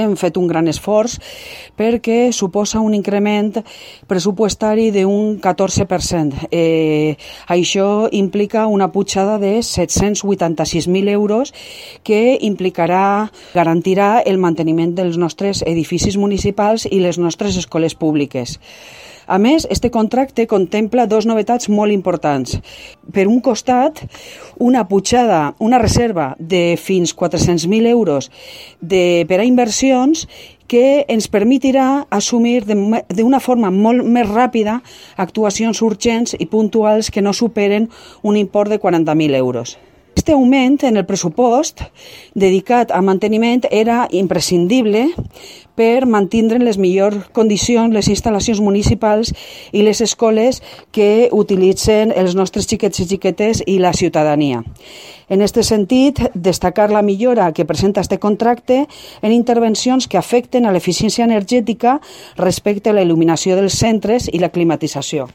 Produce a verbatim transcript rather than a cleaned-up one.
hem fet un gran esforç perquè suposa un increment pressupostari d'un catorze per cent. Eh, això implica una pujada de set-cents vuitanta-sis mil euros que implicarà, garantirà el manteniment dels nostres edificis municipals i les nostres escoles públiques. A més, este contracte contempla dos novetats molt importants. Per un costat, una pujada, una reserva de fins quatre-cents mil euros de, per a inversions que ens permetirà assumir d'una forma molt més ràpida actuacions urgents i puntuals que no superen un import de quaranta mil euros. Este augment en el pressupost dedicat a manteniment era imprescindible per mantindre en les millors condicions les instal·lacions municipals i les escoles que utilitzen els nostres xiquets i xiquetes i la ciutadania. En aquest sentit, destacar la millora que presenta este contracte en intervencions que afecten a l'eficiència energètica respecte a la il·luminació dels centres i la climatització.